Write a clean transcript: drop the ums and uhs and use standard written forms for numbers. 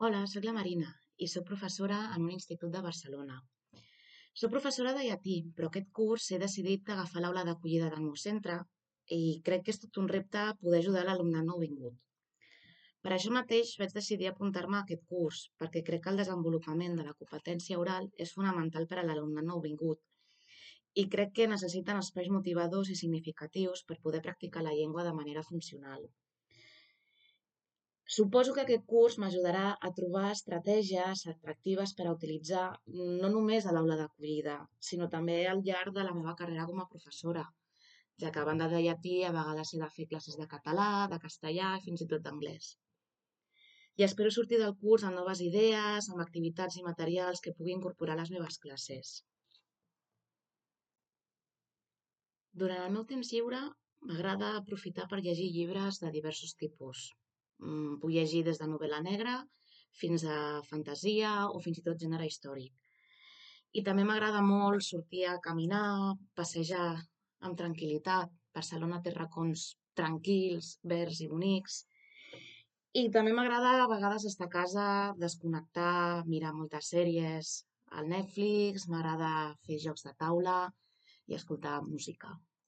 Hola, soc la Marina i soc professora en un institut de Barcelona. Soc professora de llatí, però aquest curs he decidit agafar l'aula d'acollida del meu centre i crec que és tot un repte poder ajudar l'alumnat nouvingut. Per això mateix vaig decidir apuntar-me a aquest curs, perquè crec que el desenvolupament de la competència oral és fonamental per a l'alumnat nouvingut i crec que necessiten espais motivadors i significatius per poder practicar la llengua de manera funcional. Suposo que aquest curs m'ajudarà a trobar estratègies atractives per a utilitzar no només a l'aula d'acollida, sinó també al llarg de la meva carrera com a professora, ja que a banda de llatí a vegades he de fer classes de català, de castellà i fins i tot d'anglès. I espero sortir del curs amb noves idees, amb activitats i materials que pugui incorporar a les meves classes. Durant el meu temps lliure m'agrada aprofitar per llegir llibres de diversos tipus. Puc llegir des de novel·la negra fins a fantasia o fins i tot gènere històric. I també m'agrada molt sortir a caminar, passejar amb tranquil·litat. Barcelona té racons tranquils, verds i bonics. I també m'agrada a vegades estar a casa, desconnectar, mirar moltes sèries al Netflix, m'agrada fer jocs de taula i escoltar música.